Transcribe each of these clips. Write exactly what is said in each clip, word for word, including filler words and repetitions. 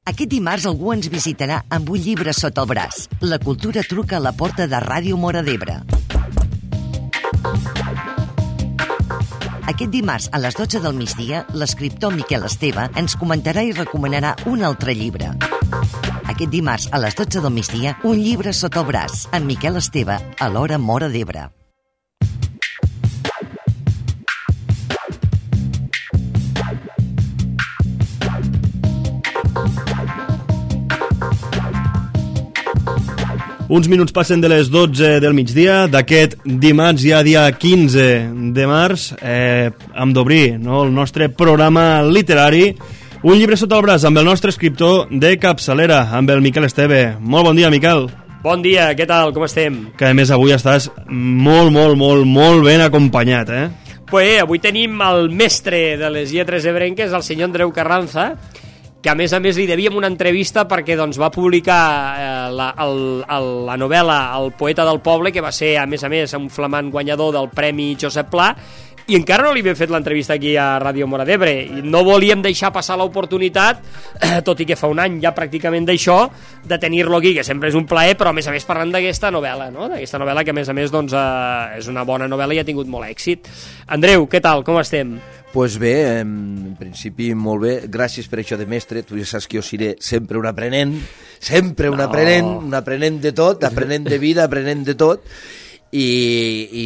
Aquest dimarts algú ens visitarà amb un llibre sota el braç. La cultura truca a la porta de Ràdio Móra d'Ebre. Aquest dimarts, a les dotze del migdia, l'escriptor Miquel Esteve ens comentarà i recomanarà un altre llibre. Aquest dimarts, a les dotze del migdia, un llibre sota el braç, amb Miquel Esteve, a l'Hora Móra d'Ebre. Uns minuts passen de les dotze del migdia d'aquest dimarts, ja dia quinze de març, eh, hem d'obrir, no, el nostre programa literari, un llibre sota el braç amb el nostre escriptor de capçalera, amb el Miquel Esteve. Molt bon dia, Miquel. Bon dia, què tal, com estem? Que a més avui estàs molt, molt, molt, molt ben acompanyat, eh? Pues avui tenim el mestre de les lletres ebrenques, el senyor Andreu Carranza, que a més a més li devíem una entrevista perquè doncs, va publicar eh, la, el, el, la novel·la El poeta del poble, que va ser a més a més un flamant guanyador del Premi Josep Pla, i encara no li havia fet l'entrevista aquí a Ràdio Móra d'Ebre, i no volíem deixar passar l'oportunitat, eh, tot i que fa un any ja pràcticament d'això, de tenir-lo aquí, que sempre és un plaer, però a més a més parlant d'aquesta novel·la, no? D'aquesta novel·la que a més a més doncs, eh, és una bona novel·la i ha tingut molt èxit. Andreu, què tal, com estem? Pues bé, en principi molt bé, gràcies per això de mestre, tu ja saps que jo seré sempre un aprenent, sempre un no. aprenent, un aprenent de tot, aprenent de vida, aprenent de tot, i,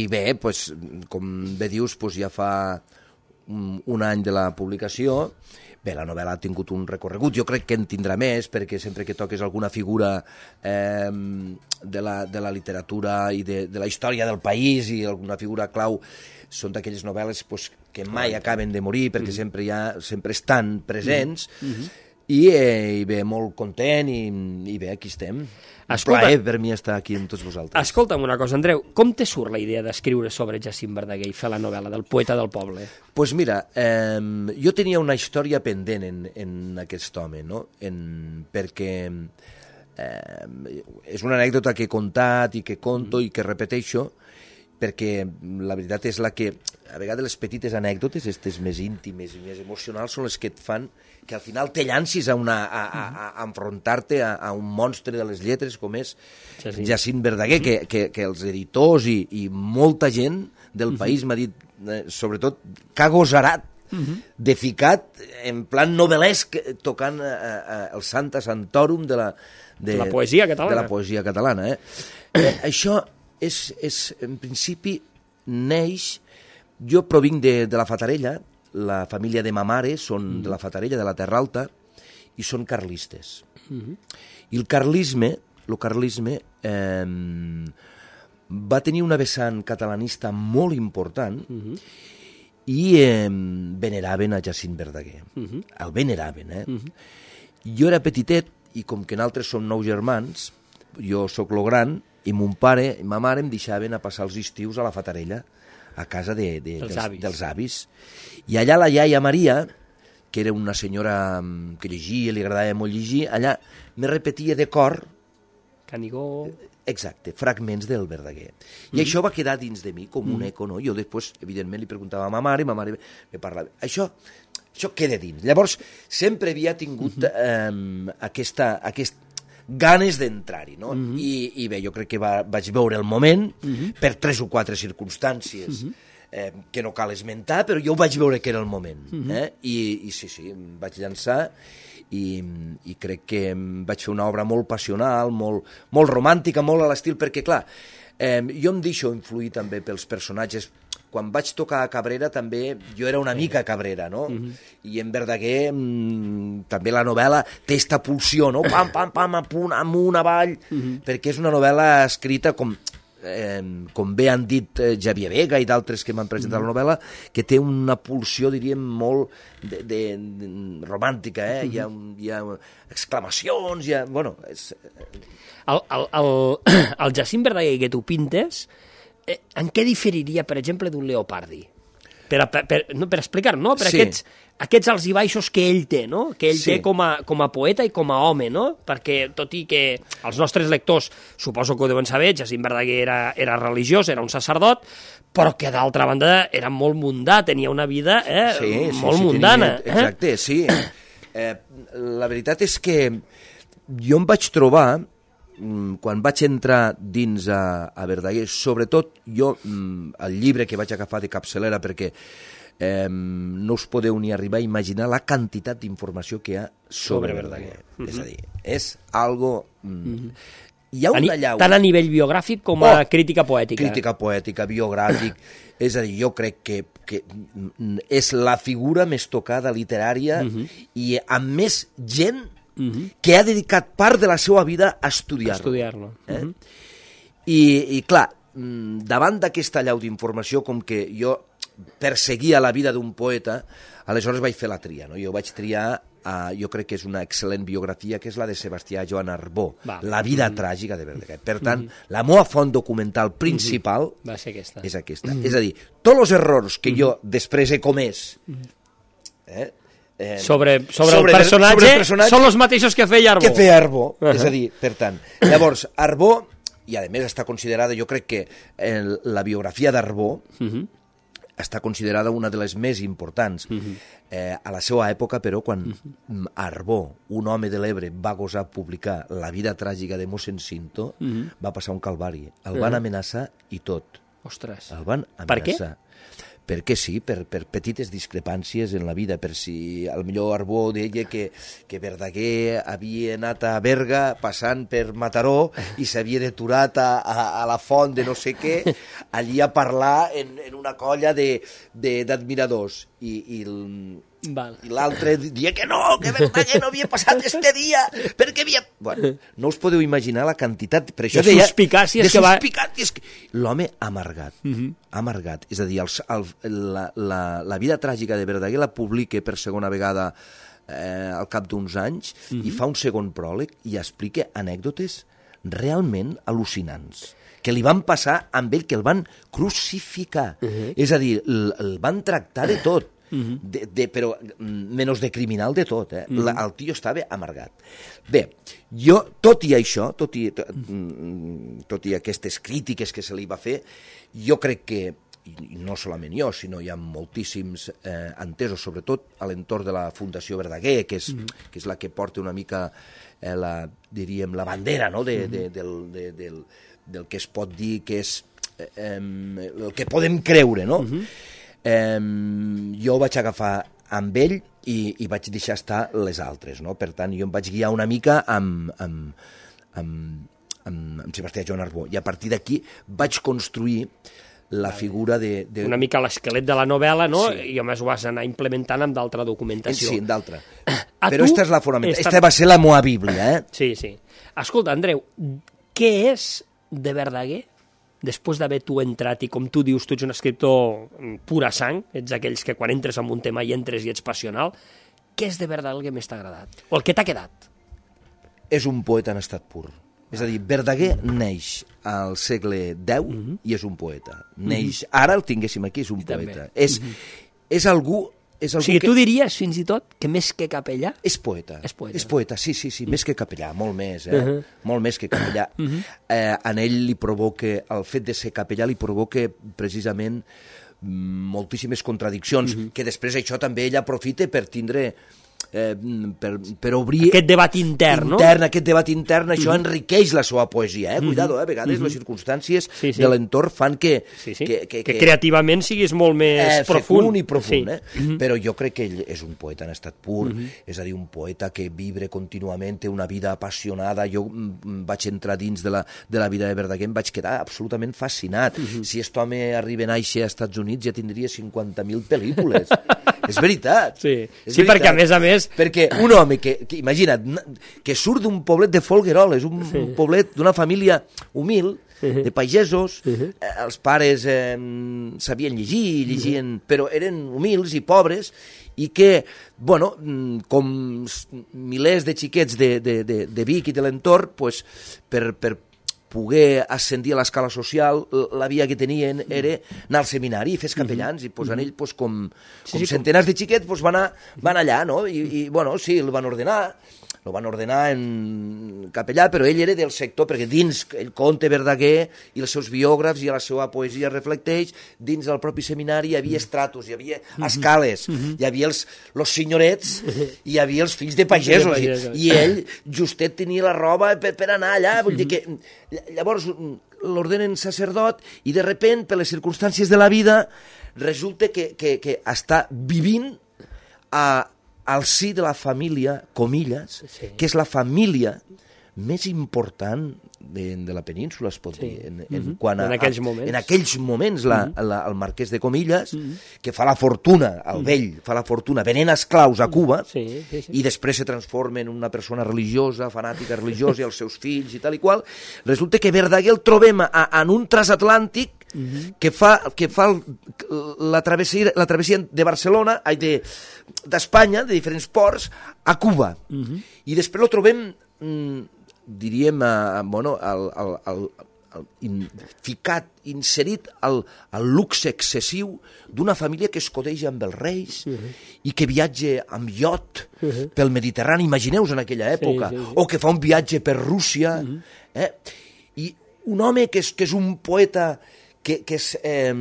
i bé, pues, com bé dius, pues ja fa un, un any de la publicació. Bé, la novel·la ha tingut un recorregut, jo crec que en tindrà més, perquè sempre que toques alguna figura eh, de, la, de la literatura i de, de la història del país i alguna figura clau, són d'aquelles novel·les pues, que mai acaben de morir, perquè mm. sempre, ja, sempre estan presents, mm -hmm. I, eh, i bé, molt content, i, i bé, aquí estem. Escolta, plaer per mi estar aquí amb tots vosaltres. Escolta'm una cosa, Andreu, com te surt la idea d'escriure sobre Jacint Verdaguer i fer la novel·la del poeta del poble? Doncs pues mira, eh, jo tenia una història pendent en, en aquest home, no? En, perquè eh, és una anècdota que he contat i que conto mm. i que repeteixo, perquè la veritat és la que, a vegades les petites anècdotes, aquestes més íntimes i més emocionals, són les que et fan que al final te llancis a, una, a, a, a enfrontar-te a, a un monstre de les lletres com és Jacint, Jacint Verdaguer, que, que, que els editors i, i molta gent del uh-huh. país m'ha dit, eh, sobretot, que ha gosarat uh-huh. de ficat en plan novel·lesc tocant eh, eh, el Santa Santorum de la, de, la poesia catalana. De la poesia catalana eh? Eh, això és, és, en principi, neix... Jo provinc de, de la Fatarella, la família de ma mare són mm. de la Fatarella, de la Terra Alta, i són carlistes. Mm-hmm. I el carlisme, el carlisme eh, va tenir una vessant catalanista molt important mm-hmm. i eh, veneraven a Jacint Verdaguer. Mm-hmm. El veneraven, eh? Mm-hmm. Jo era petitet, i com que nosaltres som nou germans, jo sóc lo gran, i mon pare i ma mare em deixaven a passar els estius a la Fatarella, a casa de, de, dels, dels, avis. dels avis. I allà la iaia Maria, que era una senyora que llegia, li agradava molt llegir, allà me repetia de cor... Canigó... Exacte, fragments del Verdaguer. I mm. això va quedar dins de mi com un mm. eco, no? Jo després, evidentment, li preguntava a ma mare, i ma mare me parlava. Això, això queda dins. Llavors, sempre havia tingut mm-hmm. eh, aquesta... aquesta ganes d'entrar-hi, no? Uh-huh. I, I bé, jo crec que va, vaig veure el moment, uh-huh. per tres o quatre circumstàncies uh-huh. eh, que no cal esmentar, però jo ho vaig veure que era el moment. Uh-huh. eh? I, I sí, sí, em vaig llançar i, i crec que vaig fer una obra molt passional, molt, molt romàntica, molt a l'estil, perquè, clar, eh, jo em deixo influir també pels personatges. Quan vaig tocar a Cabrera també jo era una mica Cabrera, no? Uh-huh. I en Verdaguer mmm, també la novel·la té esta pulsió, no? Pam, pam, pam, amunt, amunt, avall, uh-huh. perquè és una novel·la escrita com, eh, com bé han dit eh, Xavier Vega i d'altres que m'han presentat uh-huh. la novel·la, que té una pulsió, diríem, molt de, de, de, romàntica, eh? Uh-huh. Hi ha, hi ha exclamacions, hi ha... Bueno, és... El, el, el, el Jacint Verdaguer que tu pintes... Eh, en què diferiria, per exemple, d'un Leopardi? Per, per, per, no, per explicar, no? Per sí. aquests, aquests alts i baixos que ell té, no? Que ell sí. té com a, com a poeta i com a home, no? Perquè, tot i que els nostres lectors, suposo que ho deuen saber, Jacint Verdaguer era, era religiós, era un sacerdot, però que d'altra banda era molt mundà, tenia una vida eh, sí, sí, molt sí, mundana. Tenia, exacte, eh? sí. Eh, la veritat és que jo em vaig trobar, quan vaig entrar dins a, a Verdaguer, sobretot jo, el llibre que vaig agafar de capçalera, perquè eh, no us podeu ni arribar a imaginar la quantitat d'informació que hi ha sobre, sobre Verdaguer. Uh-huh. És a dir, és algo... Mm, uh-huh. Hi ha una llau... Tant a nivell biogràfic com a oh, crítica poètica. Crítica poètica, biogràfic... És a dir, jo crec que, que és la figura més tocada literària uh-huh. i amb més gent uh-huh. que ha dedicat part de la seva vida a estudiar-lo. Estudiar-lo. Eh? Uh-huh. I, I clar, davant d'aquesta llau d'informació, com que jo perseguia la vida d'un poeta, aleshores vaig fer la tria. No? Jo vaig triar, uh, jo crec que és una excel·lent biografia, que és la de Sebastià Joan Arbó, Va. La vida mm-hmm. tràgica de Verdaguer. Per tant, mm-hmm. la meva font documental principal mm-hmm. va ser aquesta. és aquesta. Mm-hmm. És a dir, tots els errors que mm-hmm. jo després he comès eh, eh, sobre, sobre, sobre, el personatge, sobre el personatge són els mateixos que feia Arbó. Que feia Arbó. Uh-huh. És a dir, per tant, llavors, Arbó, i a més està considerada, jo crec que el, la biografia d'Arbó uh-huh. està considerada una de les més importants. Uh-huh. eh, a la seva època, però, quan uh-huh. Arbó, un home de l'Ebre, va gosar publicar La vida tràgica de mossèn Cinto, uh-huh. va passar un calvari. El van uh-huh. amenaçar i tot. Ostres. El van amenaçar. Per què? Perquè sí, per, per petites discrepàncies en la vida, per si al millor Arbó deia que, que Verdaguer havia anat a Berga passant per Mataró i s'havia deturat a, a, a la font de no sé què, allí a parlar en, en una colla d'admiradors. I, i, i l'altre dia que no, que Verdaguer no havia passat este dia, perquè havia... Bueno, no us podeu imaginar la quantitat... Per això de deia, suspicàcies de que va... suspicàcies que... L'home amargat, uh-huh. amargat. És a dir, els, el, la, la, la vida tràgica de Verdaguer la publica per segona vegada eh, al cap d'uns anys uh-huh. i fa un segon pròleg i explica anècdotes realment al·lucinants que li van passar amb ell, que el van crucificar. Uh-huh. És a dir, el, el van tractar de tot. Uh-huh. de, de, però menys de criminal de tot, eh? Uh-huh. La, el tio estava amargat. Bé, jo, tot i això, tot i, tot, tot i aquestes crítiques que se li va fer, jo crec que, i no solament jo, sinó hi ha moltíssims eh, entesos, sobretot a l'entorn de la Fundació Verdaguer, que és, uh-huh. que és la que porta una mica eh, la, diríem, la bandera, no? de, de, del, de, del, del que es pot dir que és eh, el que podem creure, no? Uh-huh. Eh, jo vaig agafar amb ell i, i vaig deixar estar les altres, no? Per tant, jo em vaig guiar una mica amb, amb, amb, amb, amb Sebastià Joan Arbó, i a partir d'aquí vaig construir la figura de... de... Una mica l'esquelet de la novel·la, no? Sí. I a més ho vas anar implementant amb d'altra documentació. Sí, amb d'altra. Però aquesta és la fonamental. Esta va ser la meva bíblia, eh? Sí, sí. Escolta, Andreu, què és de Verdaguer? Després d'haver tu entrat i, com tu dius, tu ets un escriptor pura sang, ets aquells que quan entres en un tema i entres i ets passional, què és de Verdaguer el que més t'ha agradat? O el que t'ha quedat? És un poeta en estat pur. És a dir, Verdaguer neix al segle deu uh-huh. i és un poeta. Neix, uh-huh. ara el tinguéssim aquí, és un I poeta. És, uh-huh. és algú... És o sigui, que... tu diries, fins i tot, que més que capellà... És poeta. És poeta, és poeta sí, sí, sí, mm. més que capellà, molt més, eh? Uh-huh. Molt més que capellà. Uh-huh. eh, en ell li provoca, el fet de ser capellà li provoca precisament moltíssimes contradiccions, uh-huh. que després això també ell aprofita per tindre... Eh, per, per obrir... Aquest debat intern, no? Intern, aquest debat intern, això uh-huh. enriqueix la seva poesia, eh? Cuidado, eh? A vegades uh-huh. les circumstàncies sí, sí. de l'entorn fan que... Sí, sí. Que, que, que, que creativament siguis molt més eh, profund. i profund, sí. eh? Uh-huh. Però jo crec que ell és un poeta en estat pur, uh-huh. és a dir, un poeta que vibre contínuament, té una vida apassionada. Jo m- vaig entrar dins de la, de la vida de Verdaguer, em vaig quedar absolutament fascinat. Uh-huh. Si aquest home arriba a néixer als Estats Units ja tindria cinquanta mil pel·lícules. És veritat. Sí, és sí veritat. Perquè a més a més... Perquè un home que, que imagina't, que surt d'un poblet de Folgueroles, un sí. poblet d'una família humil, uh-huh. de pagesos, uh-huh. eh, els pares eh, sabien llegir, llegien, uh-huh. però eren humils i pobres, i que, bueno, com milers de xiquets de, de, de, de Vic i de l'entorn, pues, per, per poder ascendir a l'escala social, la via que tenien era anar al seminari i fer capellans, uh-huh. i pues, en ell, pues, com, com sí, sí, centenars com... de xiquets, pues, van, a, van allà, no? I, i, bueno, sí, el van ordenar, lo van ordenar en capellà, però ell era del sector, perquè dins el conte Verdaguer i els seus biògrafs i la seva poesia reflecteix, dins del propi seminari hi havia estratos, hi havia escales, hi havia els, els senyorets i hi havia els fills de pagesos, i, i ell justet tenia la roba per, per anar allà, vull dir que llavors l'ordenen sacerdot i de repent, per les circumstàncies de la vida, resulta que, que, que està vivint a, al si de la família, comilles, sí. que és la família més important de, de la península, es pot sí. dir. En, en, mm-hmm. quan a, en aquells moments. En aquells moments, la, mm-hmm. la, el marquès de Comilles, mm-hmm. que fa la fortuna, el mm-hmm. vell, fa la fortuna, venent esclaus a Cuba, sí, sí, sí. i després se transforma en una persona religiosa, fanàtica religiosa, i els seus fills i tal i qual, resulta que Verdaguer el trobem a, a, en un transatlàntic mm-hmm. que fa, que fa el, la, travessia, la travessia de Barcelona, de, d'Espanya, de diferents ports, a Cuba. Mm-hmm. I després lo trobem... Mm, diríem, eh, bueno, el, el, el, el, in, ficat, inserit al, al luxe excessiu d'una família que es codeja amb els reis uh-huh. i que viatja amb iot uh-huh. pel Mediterrani, imagineu-vos en aquella època, sí, sí, sí. o que fa un viatge per Rússia, uh-huh. eh? I un home que és, que és un poeta que, que, és, eh,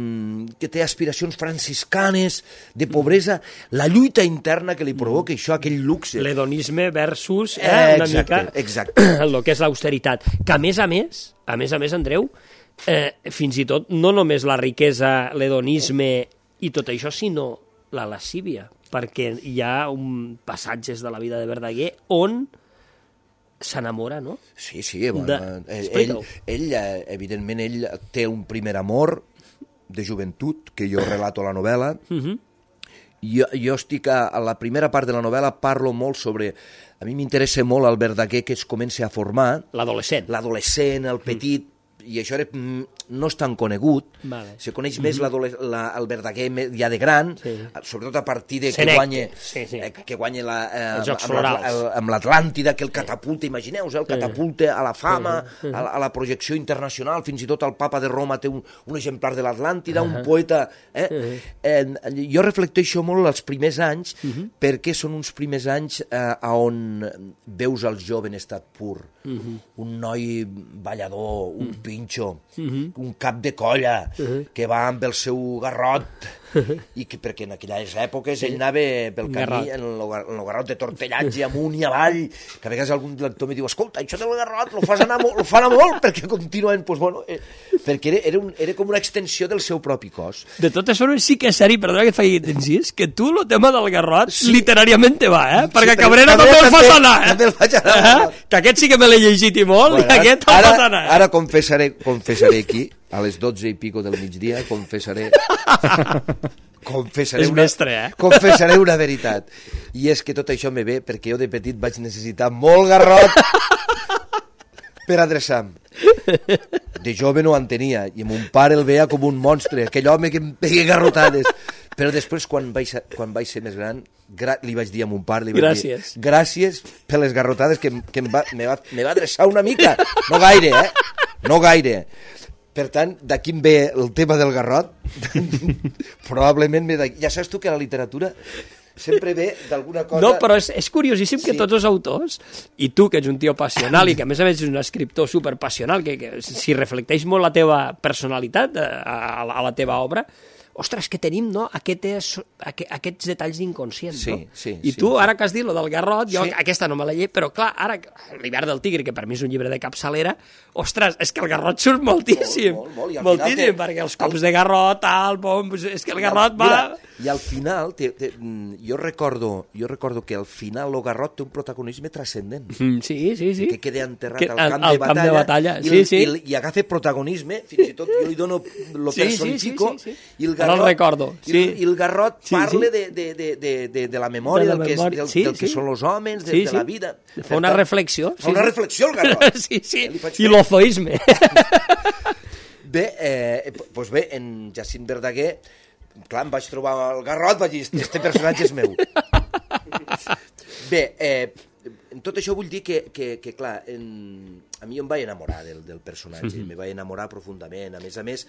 que té aspiracions franciscanes, de pobresa, la lluita interna que li provoca això, aquell luxe. L'hedonisme versus eh, eh, una exacte, mica exacte. el que és l'austeritat. Que a més a més, a més a més, Andreu, eh, fins i tot no només la riquesa, l'hedonisme i tot això, sinó la lascívia, perquè hi ha un passatges de la vida de Verdaguer on s'enamora, no? Sí, sí, bueno, de... ell, ell, evidentment, ell té un primer amor de joventut, que jo relato a la novel·la. Uh-huh. Jo, jo estic a, a la primera part de la novel·la, parlo molt sobre... A mi m'interessa molt el Verdaguer que es comença a formar. L'adolescent. L'adolescent, el petit, mm. i això era, no és tan conegut, vale. Se coneix més mm-hmm. la, el Verdaguer ja de gran, sí. sobretot a partir de que guanya, sí, sí. eh, que guanya la, eh, amb, amb l'Atlàntida, que el catapulta, imagineu-vos, el catapulta a la fama, sí. a, la, a la projecció internacional, fins i tot el papa de Roma té un, un exemplar de l'Atlàntida, uh-huh. un poeta... Eh? Uh-huh. eh, jo reflecteixo molt els primers anys, uh-huh. perquè són uns primers anys eh, on veus el jove en estat pur, uh-huh. un noi ballador, un uh-huh. pinxo, uh-huh. un cap de colla, uh-huh. que va amb el seu garrot, uh-huh. i que, perquè en aquelles èpoques sí. ell anava pel camí en el, en el garrot de tortellatge amunt i avall, que a vegades algun lector me diu, escolta, això del garrot lo fas anar molt, lo fa anar molt, perquè continuen, pues, bueno, eh, perquè era, era, un, era com una extensió del seu propi cos. De totes formes, sí que és seri, perdona que et faci incís, que tu el tema del garrot sí. literàriament te va, eh? Perquè sí, Cabrera també el fas anar, eh? També el faig anar. Eh? Que aquest sí que me l'he llegit i molt, bueno, i aquest el fas anar. Ara confessaré, confessaré aquí, a les dotze i pico del migdia, confessaré... confessaré és una, mestre, eh? confessaré una veritat. I és que tot això me ve perquè jo de petit vaig necessitar molt garrot per adreçar-me. De jove no en tenia, i mon pare el veia com un monstre, aquell home que em feia garrotades. Però després, quan vaig, quan vaig ser més gran, gra li vaig dir a mon pare, li vaig gràcies. dir, gràcies per les garrotades que, que em va, me, va, me va adreçar una mica. No gaire, eh? No gaire. Per tant, d'aquí em ve el tema del garrot. Probablement ve d'aquí. Ja saps tu que la literatura sempre ve d'alguna cosa... No, però és, és curiosíssim sí. que tots els autors, i tu, que ets un tio passional i que a més a més ets un escriptor superpassional, que, que si reflecteix molt la teva personalitat a, a, a la teva obra, ostres, que tenim, no?, aquests, aquests detalls inconscients, sí, no? Sí, I sí, tu, sí. ara que has dit lo del garrot, jo sí. aquesta no me la llei, però clar, ara, l'hivern del tigre, que per mi és un llibre de capçalera, ostres, és que el garrot surt moltíssim, molt, molt, molt, moltíssim, té... perquè els cops el... de garrot, tal, bom, és que el garrot va... Mira, i al final, te, te, jo, recordo, jo recordo que al final el garrot té un protagonisme transcendent. Mm, sí, sí, sí. Que queda enterrat que, al camp, al de, batalla, camp de batalla, i, sí, sí. I, i agafa protagonisme, fins i tot jo li dono lo sí, personifico, sí, sí, sí, sí. i el garrot, el recordo, sí. i, el, i el garrot sí, parla sí. De, de, de, de, de, de la memòria, de la del, que, és, del, sí, del que sí. són els homes, de, sí, de sí. la vida. Fa una reflexió. Fa una reflexió el garrot. Sí, sí, i l'ozoisme. Bé, eh, doncs bé, en Jacint Verdaguer, clar, em vaig trobar el garrot, vaig dir, este personatge és meu. Bé, eh, en tot això vull dir que, que, que clar, en, a mi em vaig enamorar del, del personatge, mm-hmm. me vaig enamorar profundament, a més a més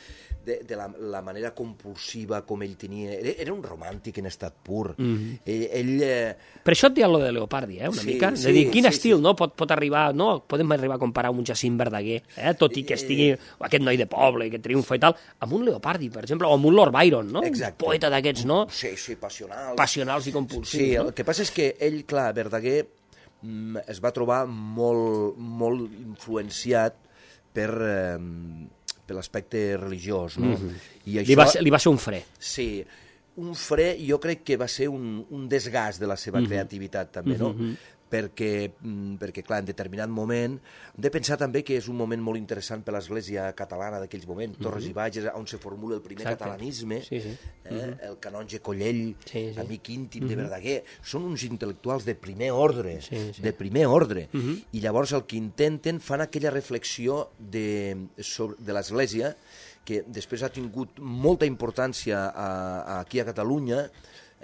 de, de la, la manera compulsiva com ell tenia, era, era un romàntic en estat pur. Mm-hmm. Ell... ell eh... Per això et deia lo de Leopardi, eh, una sí, mica, sí, de dir, quin sí, estil, sí. no? Pot, pot arribar, no? Podem arribar a comparar un Jacint Verdaguer, eh? Tot i que estigui aquest noi de poble, que triomfa i tal, amb un Leopardi, per exemple, o amb un Lord Byron, no? Exacte. Un poeta d'aquests, no? Sí, sí, passionals. Passionals i compulsius, sí, no? El que passa és que ell, clar, Verdaguer es va trobar molt, molt influenciat per, eh, per l'aspecte religiós, no? Mm-hmm. I això, li, va ser, li va ser un fre. Sí, un fre jo crec que va ser un, un desgast de la seva mm-hmm. creativitat també, no? Mm-hmm. Perquè, perquè, clar, en determinat moment hem de pensar també que és un moment molt interessant per l'Església catalana d'aquells moments, mm-hmm. Torres i Bages, on se formula el primer Exacte. Catalanisme, sí, sí. Eh? Mm-hmm. el canonge Collell, sí, sí. amic íntim mm-hmm. de Verdaguer, són uns intel·lectuals de primer ordre, sí, sí. de primer ordre, mm-hmm. i llavors el que intenten fan aquella reflexió de, sobre, de l'Església, que després ha tingut molta importància a, a, aquí a Catalunya,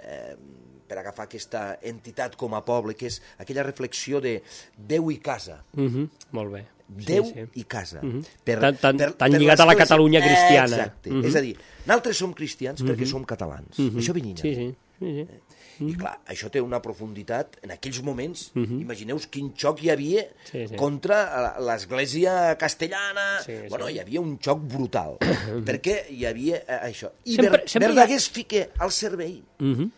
eh, per agafar aquesta entitat com a poble, que és aquella reflexió de Déu i casa. Mm-hmm. Molt bé. Déu sí, sí. i casa. Mm-hmm. Per, tan tan, per, tan per lligat a la Catalunya cristiana. Exacte. Mm-hmm. És a dir, nosaltres som cristians mm-hmm. perquè som catalans. Mm-hmm. Això venina. Sí, sí. sí, sí. Mm-hmm. I clar, això té una profunditat en aquells moments. Mm-hmm. Imagineu quin xoc hi havia sí, sí. contra l'Església castellana. Sí, sí. Bueno, hi havia un xoc brutal. perquè hi havia eh, això. I sempre, Ver, sempre Verdaguer es fica al servei. Mm-hmm.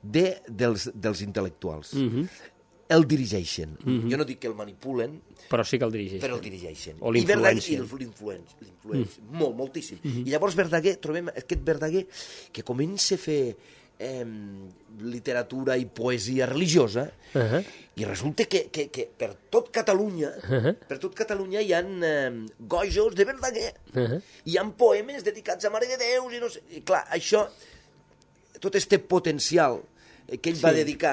De, dels, dels intel·lectuals. Mm-hmm. El dirigeixen. Mm-hmm. Jo no dic que el manipulen, però sí que el dirigeixen. Però el dirigeixen. O l'influencien. I l'influencien, l'influencien. Mm. Molt, moltíssim. Mm-hmm. I llavors Verdaguer, trobem aquest Verdaguer que comença a fer eh, literatura i poesia religiosa, uh-huh. i resulta que, que, que per tot Catalunya, uh-huh. per tot Catalunya hi ha eh, gojos de Verdaguer. Uh-huh. Hi ha poemes dedicats a Mare de Déu, i no sé... I clar, això, tot este potencial que ell sí. va dedicar,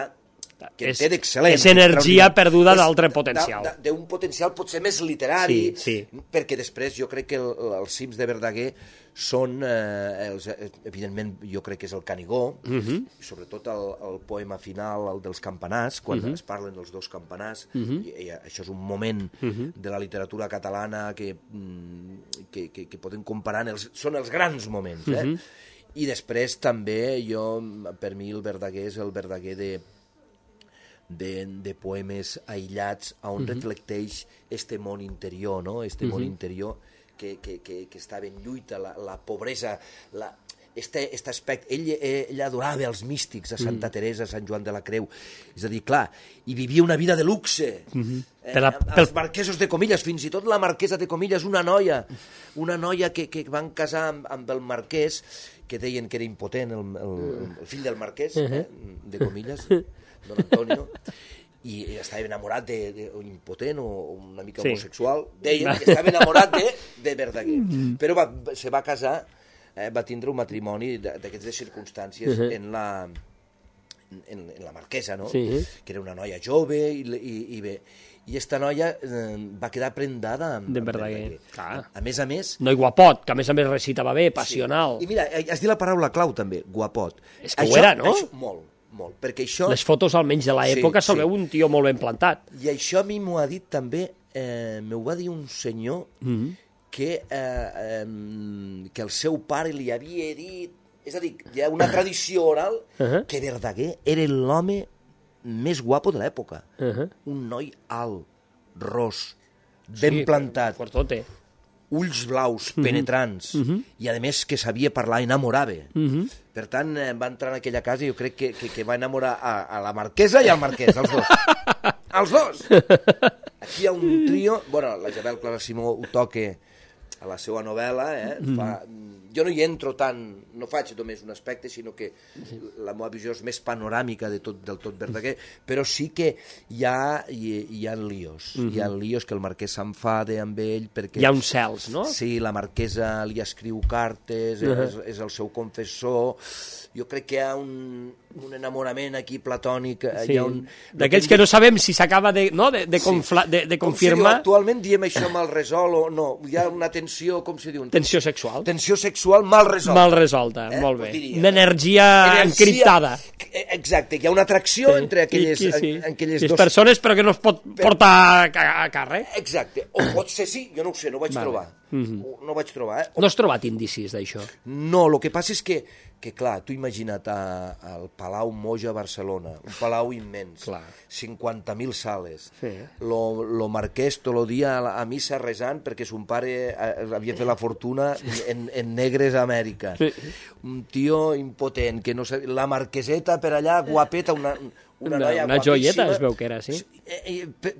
que és, té d'excel·lent. És energia perduda d'altre potencial. D'un potencial potser més literari, sí, sí. perquè després jo crec que el, els cims de Verdaguer són, eh, els, evidentment, jo crec que és el Canigó, uh-huh. sobretot el, el poema final, el dels campanars, quan uh-huh. es parlen dels dos campanars, uh-huh. i, i això és un moment uh-huh. de la literatura catalana que, que, que, que podem comparar, els, són els grans moments, eh? Uh-huh. I després també, jo, per mi el Verdaguer és el Verdaguer de, de, de poemes aïllats on uh-huh. reflecteix este món interior, no? Este uh-huh. món interior que, que, que, que estava en lluita, la, la pobresa, la, este, este aspecte. Ell, ell adorava els místics, a Santa uh-huh. Teresa, a Sant Joan de la Creu. És a dir, clar, i vivia una vida de luxe. Uh-huh. Eh, la, els marquesos de Comillas, fins i tot la marquesa de Comillas, una noia, una noia que, que van casar amb, amb el marquès, que deien que era impotent, el, el, el fill del marquès, eh, de Comillas, don Antonio, i estava enamorat de, de, de impotent o una mica sí. homosexual, deien que estava enamorat de, de Verdaguer. Però va, se va casar, eh, va tindre un matrimoni d'aquestes circumstàncies uh-huh. en la... En, en la marquesa, no? Sí. Que era una noia jove i, i, i bé. I esta noia eh, va quedar prendada amb, de amb Verdaguer. A, a més a més... No, i guapot, que a més a més recitava bé, passional. Sí. I mira, has dit la paraula clau també, guapot. És que això, ho era, no? Això, molt, molt, perquè això... Les fotos, almenys de l'època, sí, se'l sí. veu un tio molt ben plantat. I això a mi m'ho ha dit també, eh, m'ho va dir un senyor mm-hmm. que, eh, eh, que el seu pare li havia dit... És a dir, hi ha una tradició oral uh-huh. que Verdaguer era l'home més guapo de l'època. Uh-huh. Un noi alt, ros, ben sí, plantat, fortote. Ulls blaus, uh-huh. penetrants, uh-huh. i a més que sabia parlar, enamorava. Uh-huh. Per tant, eh, va entrar en aquella casa i jo crec que, que, que va enamorar a, a la marquesa i al marquès, els dos. Els dos! Aquí hi ha un trio, bueno, la Isabel Clara Simó ho toca a la seva novel·la, eh? Mm. Fa, jo no hi entro tant, no faig només un aspecte, sinó que la meva visió és més panoràmica de tot, del tot Verdaguer, però sí que hi ha, hi, hi ha líos, mm-hmm. hi ha líos que el marquès s'enfada amb ell perquè... Hi ha uns cels, no? Sí, la marquesa li escriu cartes, uh-huh. és, és el seu confessor, jo crec que hi ha un, un enamorament aquí platònic, sí. hi ha un... D'aquells que no sabem si s'acaba de, no? de, de, confla, de, de confirmar... Com si diu, actualment diem això amb el resol o no, hi ha una tensió, com se diu? Tensió sexual. Tensió sexual. sexual mal resolta. Mal resolta, eh? Molt bé. Diria, una energia, energia encriptada. Exacte, hi ha una atracció sí, entre aquelles, sí, sí. En, aquelles dos... persones, però que no es pot portar a, a càrrec. Exacte, o pot ser sí, jo no ho sé, no ho vaig vale. trobar. Mm-hmm. No ho vaig trobar, eh? No has trobat indicis d'això? No, el que passa és que, que clar, tu imagina't a, al Palau Moja a Barcelona, un palau immens, clar. cinquanta mil sales, sí. lo, lo marquès tot el dia a, a missa resant perquè son pare havia fet la fortuna en, en negres a Amèrica. Sí. Un tio impotent, que no sé, la marqueseta per allà, guapeta, una, una, una noia una guapíssima. joieta es veu que era, sí? I, i,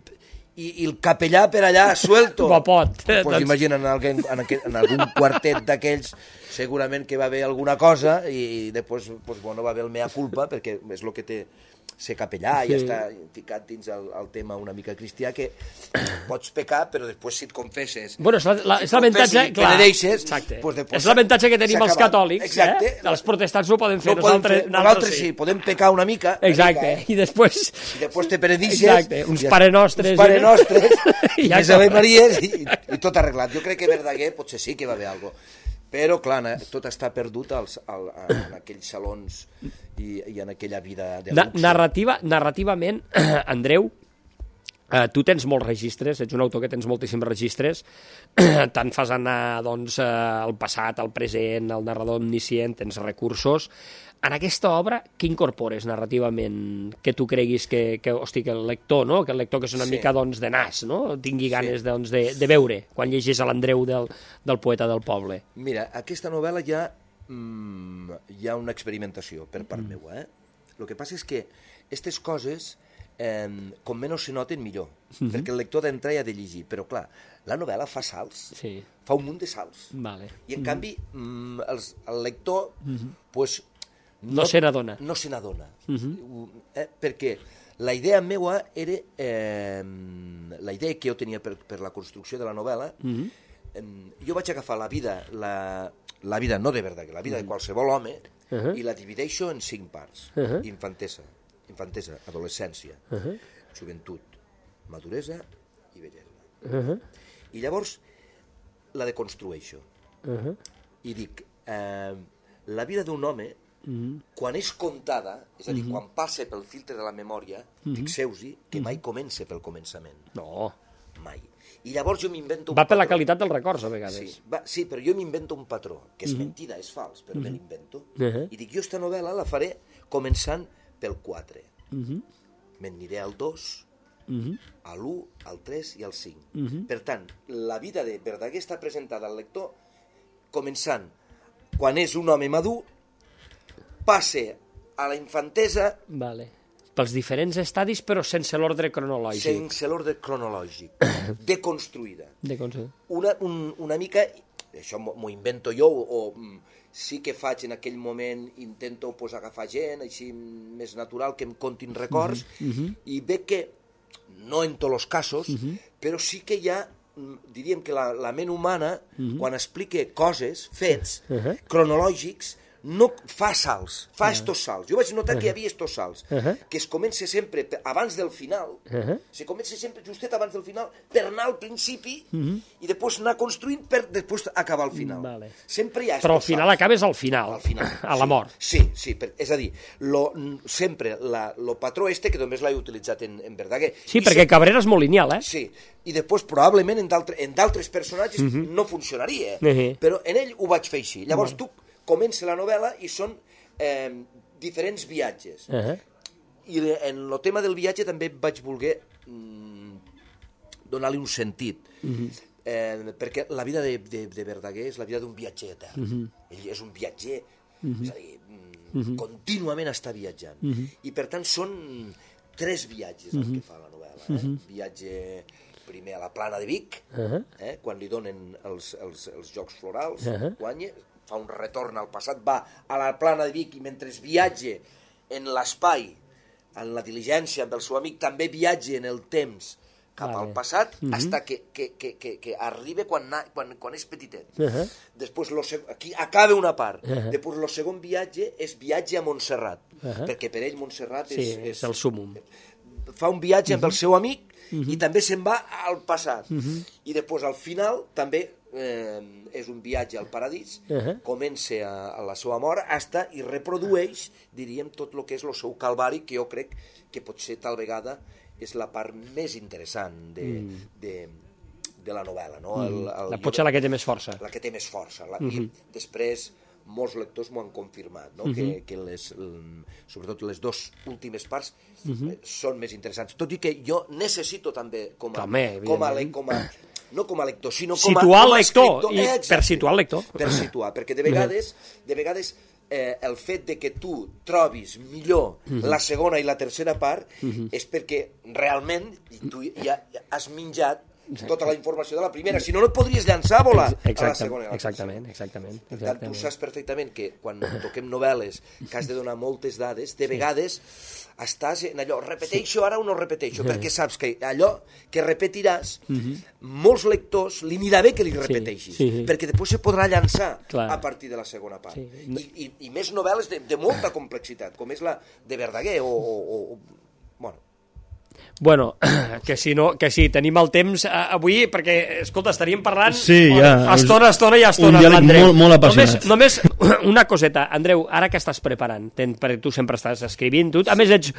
i, i el capellà per allà suelto. Guapot. Pues doncs... imagina, en, algun, en, aquel, en algun quartet d'aquells segurament que va haver alguna cosa i, i després pues, bueno, va haver el mea culpa perquè és el que té ser capellà sí. I està ficat dins el, el tema una mica cristià que pots pecar però després si et confesses bueno, és, la, si és l'avantatge clar, deixes, pues és l'avantatge que tenim els catòlics eh? Els protestants no ho poden fer no nosaltres, fer, nosaltres sí. sí, podem pecar una mica exacte, mica, eh? I després i després te penedixes exacte, uns pare nostres uns pare nostres i més Ave Maries i, i tot arreglat, jo crec que Verdaguer potser sí que va haver alguna cosa però, clar, tot està perdut als, al, en aquells salons i, i en aquella vida de luxe. Narrativa, narrativament, Andreu, eh, tu tens molts registres, ets un autor que tens moltíssims registres, tant fas anar doncs, eh, el passat, el present, el narrador omniscient, tens recursos. En aquesta obra, què incorpores narrativament que tu creguis que, que, hosti, que el lector, no? Que el lector que és una sí. mica doncs, de nas, no? Tingui ganes sí. doncs, de, de veure quan llegeix a l'Andreu del, del poeta del poble? Mira, aquesta novel·la ja mm, hi ha una experimentació per part mm. meva. Eh? El que passa és que aquestes coses, eh, com menys se noten, millor, mm-hmm. perquè el lector d'entrar hi ha de llegir, però clar, la novel·la fa salts, sí. fa un munt de salts, vale. i en mm-hmm. canvi mm, els, el lector mm-hmm. pues, No, no se n'adona. No se n'adona. Uh-huh. eh, perquè la idea meva era... Eh, la idea que jo tenia per, per la construcció de la novel·la, uh-huh. eh, jo vaig agafar la vida, la, la vida no de Verdaguer, la vida uh-huh. de qualsevol home, uh-huh. i la divideixo en cinc parts. Uh-huh. Infantesa, infantesa, adolescència, uh-huh. joventut, maduresa i vellesa. Uh-huh. I llavors la deconstrueixo. Uh-huh. I dic, eh, la vida d'un home, Mm-hmm. quan és contada, és a dir, mm-hmm. quan passa pel filtre de la memòria, mm-hmm. fixeu-hi que mm-hmm. mai comença pel començament. No. Mai. I llavors jo m'invento un va patró. per la qualitat dels records, a vegades. Sí, va, sí però jo m'invento un patró, que és mm-hmm. mentida, és fals, però mm-hmm. me l'invento. Uh-huh. I dic, jo esta novel·la la faré començant pel quatre. Mm-hmm. Me'n aniré al dos, mm-hmm. a l'u, al tres i al cinc. Mm-hmm. Per tant, la vida de Verdaguer està presentada al lector començant quan és un home madur, passe a la infantesa... Vale. Pels diferents estadis, però sense l'ordre cronològic. Sense l'ordre cronològic. Deconstruïda. Deconstruïda. Una, un, una mica... Això m'ho invento jo, o, o sí que faig en aquell moment, intento pues, agafar gent, així més natural, que em contin records, uh-huh. i veig que, no en tots els casos, uh-huh. però sí que hi ha, diríem que la, la ment humana, uh-huh. quan explica coses, fets, uh-huh. cronològics, no fa salts, fa uh-huh. estos salts. Jo vaig notar uh-huh. que hi havia estos salts, uh-huh. que es comença sempre abans del final, uh-huh. se comença sempre justet abans del final per anar al principi uh-huh. i després anar construint per després acabar al final. Vale. Sempre hi ha Però al final salts. Acabes al final, al final. a la sí, mort. Sí, sí, per, és a dir, lo, sempre la, lo patró este, que només l'he utilitzat en, en Verdaguer. Sí, I perquè sempre, Cabrera és molt lineal, eh? Sí, i després probablement en d'altres personatges uh-huh. no funcionaria, uh-huh. però en ell ho vaig fer així. Llavors uh-huh. tu comença la novel·la i són eh, diferents viatges. Uh-huh. I en el tema del viatge també vaig voler mm, donar-li un sentit. Uh-huh. eh, perquè la vida de, de, de Verdaguer és la vida d'un viatger etern. Uh-huh. Ell és un viatger, uh-huh. és a dir, mm, uh-huh. contínuament està viatjant. Uh-huh. I per tant són tres viatges uh-huh. el que fa la novel·la. Eh? Uh-huh. Viatge primer a la plana de Vic, uh-huh. eh? quan li donen els, els, els Jocs Florals, uh-huh. guanya, fa un retorn al passat, va a la plana de Vic i mentre viatge en l'espai, en la diligència amb el seu amic, també viatge en el temps cap vale. al passat, uh-huh. hasta que, que, que, que, que arriba quan, quan, quan és petitet. Uh-huh. Després, lo, aquí acaba una part. Uh-huh. Després, el segon viatge és viatge a Montserrat, uh-huh. perquè per ell Montserrat és... Sí, és el súmum. Fa un viatge uh-huh. amb el seu amic uh-huh. i també se'n va al passat. Uh-huh. I després, al final, també eh, és un viatge al paradís, Uh -huh. comença a, a la seva mort, hasta i reprodueix, diríem, tot el que és el seu calvari, que jo crec que potser tal vegada és la part més interessant de, mm. de, de la novel·la. No? El, el, la potser la que té més força. La que té més força. La, Uh -huh. I després molts lectors m'ho han confirmat, no? uh -huh. que, que les, sobretot les dues últimes parts uh -huh. són més interessants. Tot i que jo necessito també, com a, també, com a, com a no com a lector, sinó com a, situar com a el lector, escriptor. i Exacte. per situar el lector. Per situar, perquè de vegades, de vegades eh, el fet de que tu trobis millor uh -huh. la segona i la tercera part uh -huh. és perquè realment tu ja has menjat tota la informació de la primera, si no, no et podries llançar a volar a la segona i a la exactament, exactament, per tant, tu saps perfectament que quan toquem novel·les que has de donar moltes dades, de vegades estàs en allò, repeteixo ara o no repeteixo, perquè saps que allò que repetiràs, molts lectors li anirà bé que li repeteixis, perquè després se podrà llançar a partir de la segona part. I, i, i més novel·les de, de molta complexitat, com és la de Verdaguer o... o, o bueno, Bueno, que si no, que si tenim el temps eh, avui, perquè, escolta, estaríem parlant sí, ja, estona, estona i estona. Un diàleg molt, molt apassionat. Només, només una coseta, Andreu, ara que estàs preparant, ten, perquè tu sempre estàs escrivint, tu, a més ets,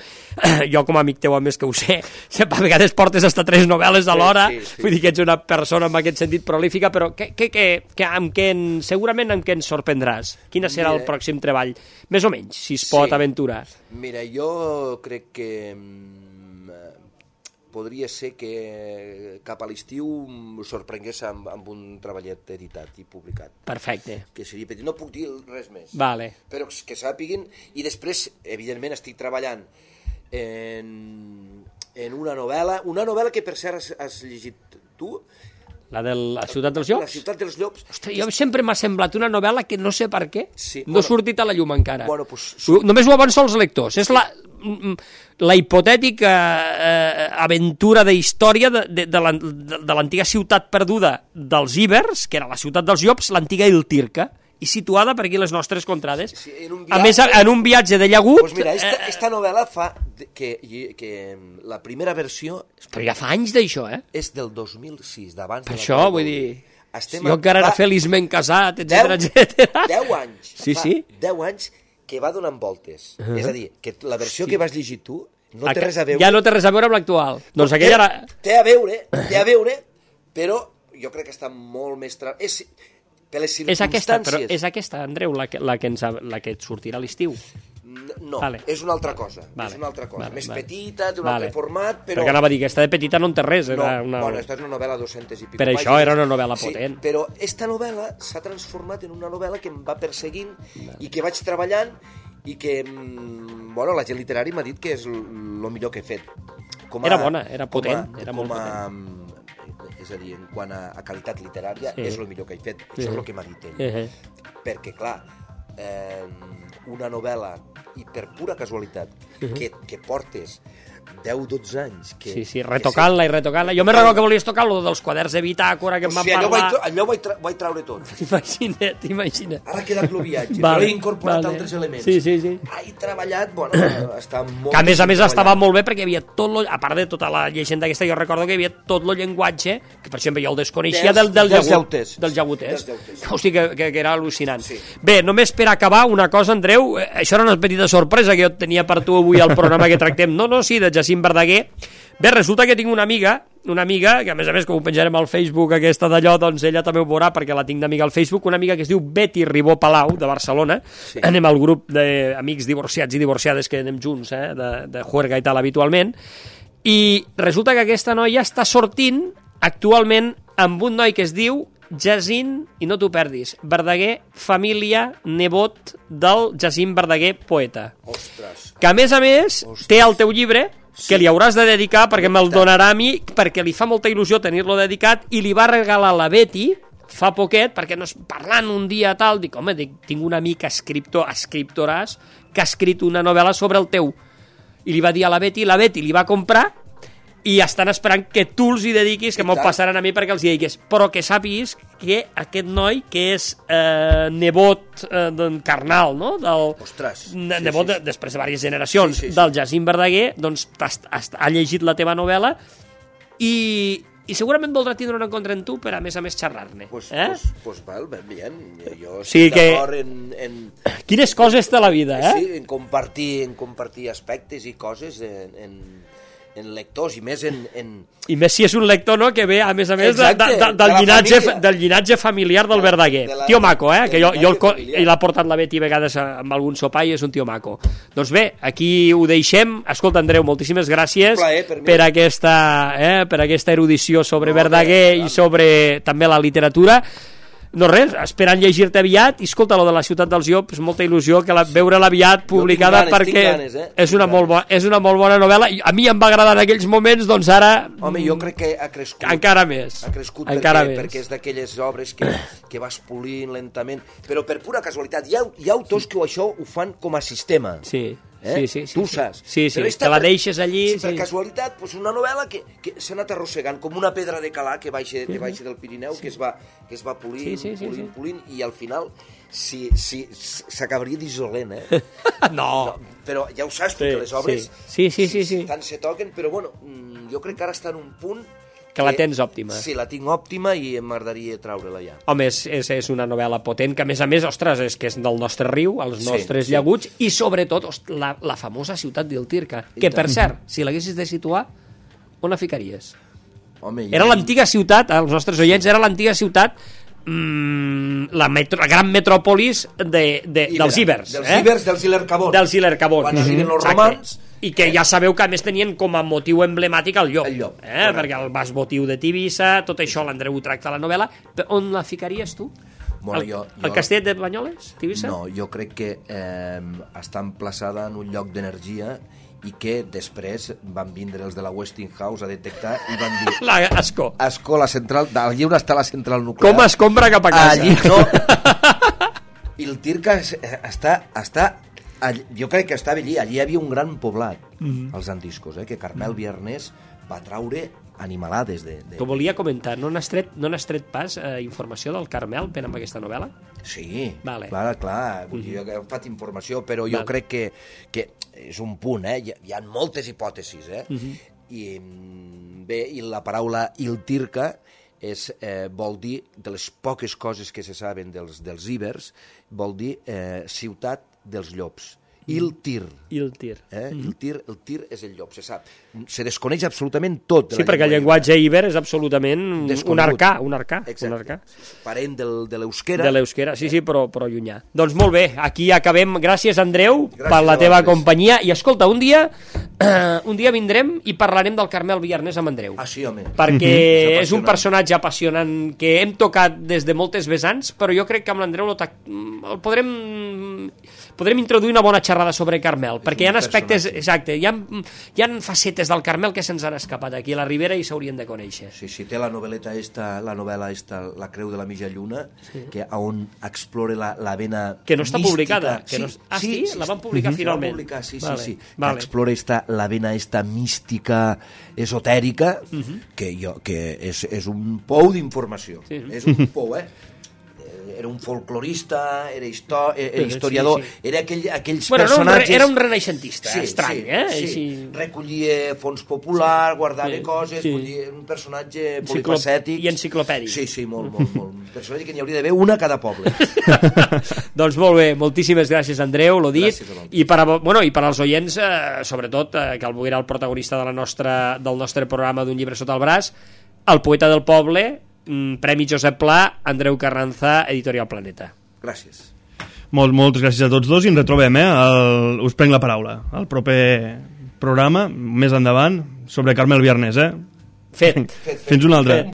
jo com a amic teu, a més que ho sé, a vegades portes hasta tres novel·les alhora, sí, sí, sí. Vull dir que ets una persona amb aquest sentit prolífica, però que, que, que, que, amb què en, segurament amb què ens sorprendràs? Quin serà Mira, el pròxim treball? Més o menys, si es pot sí. aventurar. Mira, jo crec que podria ser que cap a l'estiu sorprengués amb, amb un treballet editat i publicat. Perfecte. Que seria petit. No puc dir res més. Vale. Però que sàpiguin, i després, evidentment, estic treballant en, en una novel·la, una novel·la que per cert has, has llegit tu, la de la Ciutat dels Llops? La Ciutat dels Llops. Ostres, jo sempre m'ha semblat una novel·la que no sé per què sí, no ha bueno, sortit a la llum encara. Bueno, pues, només ho avanço als lectors. És la, la hipotètica eh, aventura de història de, de, de l'antiga ciutat perduda dels Ibers, que era la Ciutat dels Llops, l'antiga Iltirca, i situada per aquí les nostres contrades. Sí, en un viatge, a més, en un viatge de llagut... Pues mira, esta, esta novel·la fa que, que la primera versió... Però ja fa anys d'això, eh? És del dos mil sis, d'abans de la... Per això, vull dir... Estem jo encara era feliçment casat, etcètera, etcètera. deu anys. Sí, sí. deu anys que va donant voltes. Uh -huh. És a dir, que la versió sí. que vas llegir tu no té res a veure... Ja no té res a veure amb l'actual. Doncs aquella era... Té a veure, té a veure, però jo crec que està molt més... Tra... És... per les circumstàncies... És aquesta, però és aquesta, Andreu, la que, la que, ens, la que et sortirà a l'estiu? No, vale. és una altra cosa. Vale. És una altra cosa. Vale, Més vale. petita, d'un vale. altre format, però... Perquè anava a dir que aquesta de petita no en té res. Era no, una... bueno, esta és una novel·la dues-centes i pico. Per pàgines. això era una novel·la potent. Sí, però esta novel·la s'ha transformat en una novel·la que em va perseguint vale. i que vaig treballant i que, bueno, la gent literària m'ha dit que és el millor que he fet. Com a, era bona, era potent, com a, era com molt a, potent. És a dir, en quant a, a qualitat literària, sí. és el millor que he fet. Sí. Això és el que m'ha dit ell. Uh -huh. Perquè, clar, eh, una novel·la, i per pura casualitat, uh -huh. que, que portes deu dotze anys... Que, sí, sí, retocant-la i retocant-la. Jo me recordo que volies tocar lo dels quaders de bitàcora que em van o sigui, parlar... Allò, vaig, allò vaig, tra vaig traure tot. T'imagina't, t'imagina't. Ara ha quedat el viatge, vale, però he incorporat vale. altres elements. Sí, sí, sí. He treballat, bueno, està molt... Que a més a més estava molt bé perquè hi havia tot lo... A part de tota la llegenda aquesta, jo recordo que hi havia tot el llenguatge, que per exemple jo el desconeixia del, del, dels llagut, llauters. dels llaguters. Dels Hosti, que, que, que era al·lucinant. Sí. Bé, només per acabar, una cosa, Andreu, això era una petita sorpresa que jo tenia per tu avui al programa que tractem. No, no, sí, de Jacint Verdaguer. Bé, resulta que tinc una amiga, una amiga, que a més a més, com ho penjarem al Facebook, aquesta d'allò, doncs ella també ho veurà, perquè la tinc d'amiga al Facebook, una amiga que es diu Betty Ribó Palau, de Barcelona. Sí. Anem al grup d'amics divorciats i divorciades que anem junts, eh, de, de juerga i tal, habitualment. I resulta que aquesta noia està sortint actualment amb un noi que es diu Jacint, i no t'ho perdis, Verdaguer, família, nebot del Jacint Verdaguer, poeta. Ostres. Que a més a més Ostres. té el teu llibre, que li hauràs de dedicar perquè me'l donarà a mi, perquè li fa molta il·lusió tenir-lo dedicat, i li va regalar la Betty fa poquet, perquè no, parlant un dia tal, dic, home, dic, tinc un amic escriptor, escriptoràs, que ha escrit una novel·la sobre el teu. I li va dir a la Betty, la Betty li va comprar, i estan esperant que tu els hi dediquis, que m'ho passaran a mi perquè els hi diguis, però que sàpiguis que aquest noi, que és eh, nebot eh, carnal, no? Del, Ostres. Nebot, sí, sí. De, després de diverses generacions, sí, sí, sí. del Jacint Verdaguer, doncs ha, ha, ha llegit la teva novel·la i, i segurament voldrà tindre un encontre amb tu per, a més a més, xerrar-ne. Pues, eh? pues, pues val, ben bien. Jo Sí, estic que- d'acord en, en, Quines coses té la vida, eh? sí, en, compartir, en compartir aspectes i coses en, en, en lectors, i més en... en... I més si és un lector, no?, que ve, a més a més, de, Exacte, de, de, de del, la llinatge, família. del llinatge familiar del De- Verdaguer. de la- Tio maco, eh? del Que jo, jo el, llinatge co- familiar. i l'ha portat la Betty a vegades a- amb algun sopar i és un tio maco. Doncs bé, aquí ho deixem. Escolta, Andreu, moltíssimes gràcies Un plaer per mi. per, aquesta, eh, per aquesta erudició sobre No, Verdaguer bé, i sobre també la literatura. No res, esperant llegir-te aviat, i escolta, lo de la Ciutat dels Llops, molta il·lusió que la, veure-la aviat publicada, tinc ganes, perquè tinc ganes, eh? és, una Tinc molt bo, és una molt bona novel·la, i a mi em va agradar en aquells moments, doncs ara Home, jo crec que ha crescut. encara més. Ha crescut encara perquè, més. perquè és d'aquelles obres que, que vas polint lentament, però per pura casualitat. Hi ha, hi ha autors que això ho fan com a sistema. Sí, Eh? sí, sí, sí. Tu sí. saps. Sí, sí, Però te esta la per- deixes allí. Sí, per Sí. casualitat, doncs una novel·la que, que s'ha anat arrossegant com una pedra de calar que baixa, que baixa del Pirineu, que es va, que es va polint, Sí, sí, sí, polint, sí. polint, i al final si, si, s'acabaria dissolent, eh? No. Però ja ho saps, Sí, perquè les obres sí. Sí, sí, sí, sí. tant se toquen, però bueno, mm, jo crec que ara està en un punt Que la tens òptima. Sí, la tinc òptima i m'agradaria treure-la ja. Home, és, és, és una novel·la potent, que a més a més, ostres, és que és del nostre riu, els Sí, nostres sí. llaguts, i sobretot ost, la, la famosa ciutat d'Iltirca, I que tant. per cert, si l'haguessis de situar, on la ficaries? Home, Era l'antiga ciutat, els nostres oients, era l'antiga ciutat, mmm, la, metro, la gran metròpolis de, de, dels Ibers. Dels eh? Ibers, dels Ilercabons. Dels Ilercabons. Quan arriben els Exacte. romans... I que ja sabeu que a més tenien com a motiu emblemàtic el llop, El llop, eh? correcte. Perquè el vas votiu de Tivissa, tot això l'Andreu ho tracta a la novel·la. Però on la ficaries tu? Bueno, el, jo- el jo- castell de Banyoles, Tivissa? No, jo crec que eh, està emplaçada en un lloc d'energia i que després van vindre els de la Westinghouse a detectar i van dir... La Ascó. Ascó, la central... Allí on està la central nuclear... Com es compra cap a casa? Allí no. I el Tirca es- està... està allí, jo crec que estava allí. Allí hi havia un gran poblat, mm -hmm. els antiscos, eh, que Carmel Biarnés va traure animalades de... de... T'ho volia comentar. No n'has tret, no n'has tret pas eh, informació del Carmel per amb aquesta novel·la? Sí, Vale. clar, clar, vull dir, jo he agafat informació, però jo Vale. crec que, que és un punt, eh? Hi, hi ha moltes hipòtesis, eh? Uh -huh. I mm, bé, i la paraula Iltirca és, eh, vol dir, de les poques coses que se saben dels, dels ibers, vol dir eh, ciutat dels llops. Iltir. Iltir. Eh? El, tir, el tir és el llop, se sap. Se desconeix absolutament tot. De Sí, la perquè el llengua llenguatge iber és absolutament un Desconegut. arcà, un arcà, Exacte. un arcà. Parent del, de l'euskera. De l'euskera, sí, sí, però, però llunyà. Doncs molt bé, aquí acabem. Gràcies, Andreu, Gràcies per la a teva vosaltres. companyia. I escolta, un dia eh, un dia vindrem i parlarem del Carmel Biarnés amb Andreu. Ah, sí, home. Perquè És és un apassionant. personatge apassionant que hem tocat des de moltes vessants, però jo crec que amb l'Andreu lo tac- el podrem podrem introduir una bona xerrada sobre Carmel, perquè hi ha un aspectes, personatge. exacte, hi ha, hi ha facetes del Carmel que se'ns han escapat aquí a la Ribera i s'haurien de conèixer. Sí, sí, té la novel·leta esta, la novel·la esta, La creu de la mitja lluna, sí. que on explora la, la vena Que no està mística. publicada. Que no... Ah, sí? La van publicar finalment. La van publicar, sí, Vale, sí, sí. vale. Que explora esta, la vena esta mística, esotèrica, uh -huh. que, jo, que és, és un pou d'informació. Sí. És un pou, eh? Era un folclorista, era, histo era historiador, Sí, sí. era aquell, aquells Bueno, era un, personatges... re, era un renaixentista, estrany, sí, eh? Sí. Així... Recollia fons popular, guardava Sí, coses, sí. vull dir, un personatge Enciclop- polifacètic. i enciclopèdic. Sí, sí, molt, molt, molt. Un personatge que n'hi hauria d'haver una a cada poble. Doncs molt bé, moltíssimes gràcies, Andreu, l'ho dit. Gràcies a vosaltres. I per, a, bueno, i per als oients, eh, sobretot, eh, que el Boguera, el protagonista de la nostra, del nostre programa d'Un llibre sota el braç, el poeta del poble, mm, Premi Josep Pla, Andreu Carranza, Editorial Planeta. Gràcies. Molt, moltes gràcies a tots dos i ens retrobem, eh? El, us prenc la paraula. El proper programa, més endavant, sobre Carmel Biarnés, eh? Fet. Fins una altra. Fet.